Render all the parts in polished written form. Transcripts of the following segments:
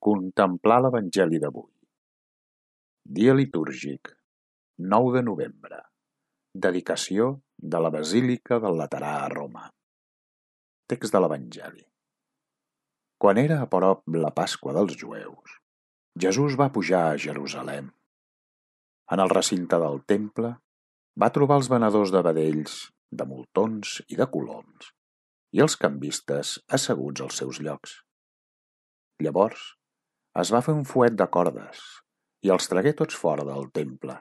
Contemplar l'Evangeli d'avui. Dia litúrgic, 9 de novembre. Dedicació de la Basílica del Laterà a Roma. Text de l'Evangeli. Quan era a prop la Pasqua dels jueus, Jesús va pujar a Jerusalem. En el recinte del temple va trobar els venedors de vedells, de moltons i de coloms, i els cambistes asseguts als seus llocs. Llavors es va fer un fuet de cordes i els tragué tots fora del temple,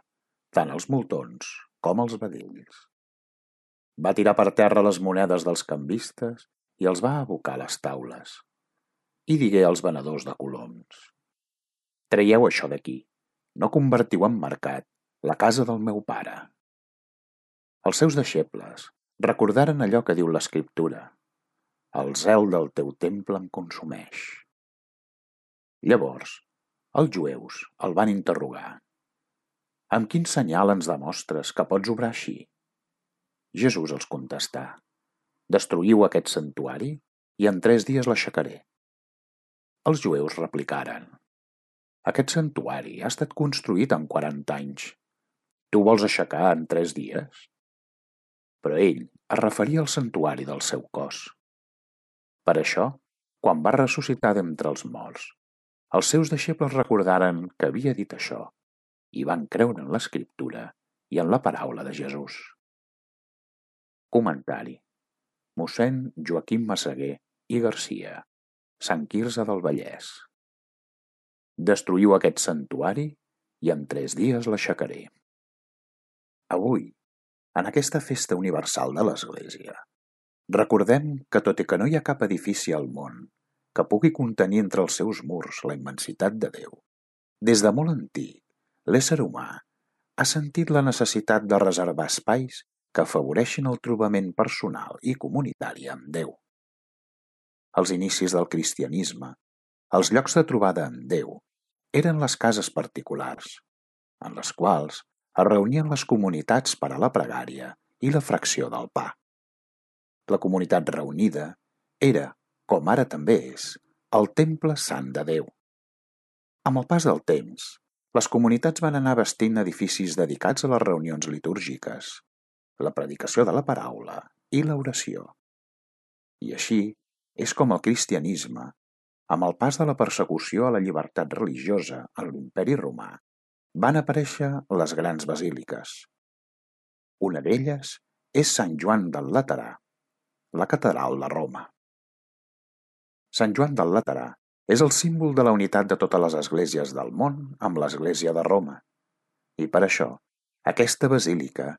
tant els moltons com els vedells. Va tirar per terra les monedes dels cambistes i els va abocar a les taules. I digué als venedors de coloms: «Traieu això d'aquí, no convertiu en mercat la casa del meu pare». Els seus deixebles recordaren allò que diu l'Escriptura: «El zel del teu temple em consumeix». Llavors, els jueus el van interrogar: «Amb quin senyal ens demostres que pots obrar així?» Jesús els contestà: «Destruïu aquest santuari i en 3 dies l'aixecaré». Els jueus replicaren: «Aquest santuari ha estat construït en 40 anys. Tu vols aixecar en 3 dies?» Però ell es referia al santuari del seu cos. Per això, quan va ressuscitar d'entre els morts, els seus deixebles recordaren que havia dit això i van creure en l'Escriptura i en la paraula de Jesús. Comentari: mossèn Joaquim Massaguer i Garcia, Sant Quirze del Vallès. Destruïu aquest santuari i en 3 dies l'aixecaré. Avui, en aquesta festa universal de l'Església, recordem que tot i que no hi ha cap edifici al món que pugui contenir entre els seus murs la immensitat de Déu, des de molt antic, l'ésser humà ha sentit la necessitat de reservar espais que afavoreixin el trobament personal i comunitari amb Déu. Als inicis del cristianisme, els llocs de trobada amb Déu eren les cases particulars, en les quals es reunien les comunitats per a la pregària i la fracció del pa. La comunitat reunida era, com ara també és, el temple sant de Déu. Amb el pas del temps, les comunitats van anar bastint edificis dedicats a les reunions litúrgiques, la predicació de la paraula i l'oració. I així és com el cristianisme, amb el pas de la persecució a la llibertat religiosa en l'Imperi Romà, van aparèixer les grans basíliques. Una d'elles és Sant Joan del Laterà, la catedral de Roma. Sant Joan del Laterà és el símbol de la unitat de totes les esglésies del món amb l'Església de Roma, i per això aquesta basílica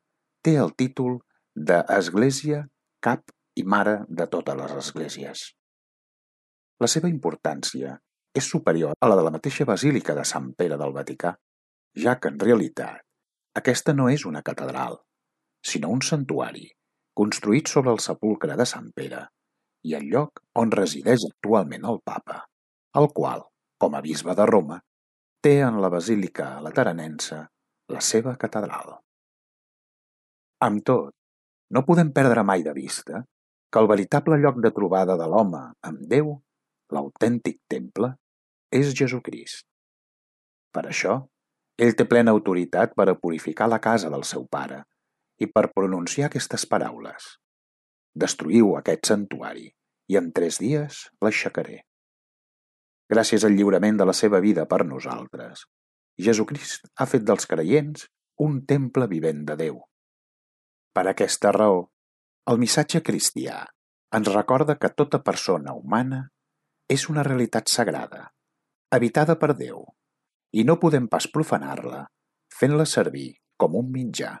té el títol d'Església, cap i mare de totes les esglésies. La seva importància és superior a la de la mateixa basílica de Sant Pere del Vaticà, ja que en realitat aquesta no és una catedral, sinó un santuari construït sobre el sepulcre de Sant Pere i el lloc on resideix actualment el Papa, el qual, com a bisbe de Roma, té en la Basílica Lateranense la seva catedral. Amb tot, no podem perdre mai de vista que el veritable lloc de trobada de l'home amb Déu, l'autèntic temple, és Jesucrist. Per això, ell té plena autoritat per a purificar la casa del seu pare i per pronunciar aquestes paraules: «Destruïu aquest santuari i en 3 dies l'aixecaré». Gràcies al lliurament de la seva vida per nosaltres, Jesucrist ha fet dels creients un temple vivent de Déu. Per aquesta raó, el missatge cristià ens recorda que tota persona humana és una realitat sagrada, habitada per Déu, i no podem pas profanar-la fent-la servir com un mitjà